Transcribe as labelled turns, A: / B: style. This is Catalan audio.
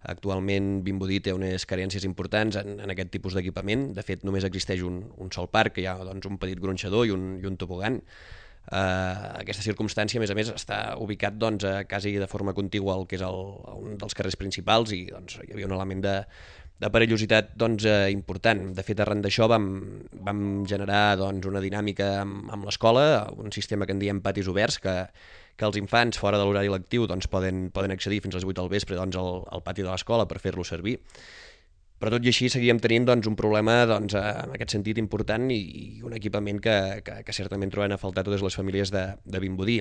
A: Actualment Vimbodí té unes carències importants en aquest tipus d'equipament. De fet, només existeix un sol parc, que hi ha doncs, un petit gronxador i un tobogan. Aquesta circumstància, a més, està ubicat doncs, quasi de forma contigua al que és un dels carrers principals i doncs, hi havia un element de perillositat doncs, important. De fet, arran d'això vam generar doncs, una dinàmica amb l'escola, un sistema que en diem patis oberts, que els infants fora de l'horari lectiu doncs, poden accedir fins a les 8 del vespre doncs, al pati de l'escola per fer-lo servir. Però tot i així seguíem tenint doncs, un problema doncs, en aquest sentit important i un equipament que certament trobem a faltar totes les famílies de Vimbodí.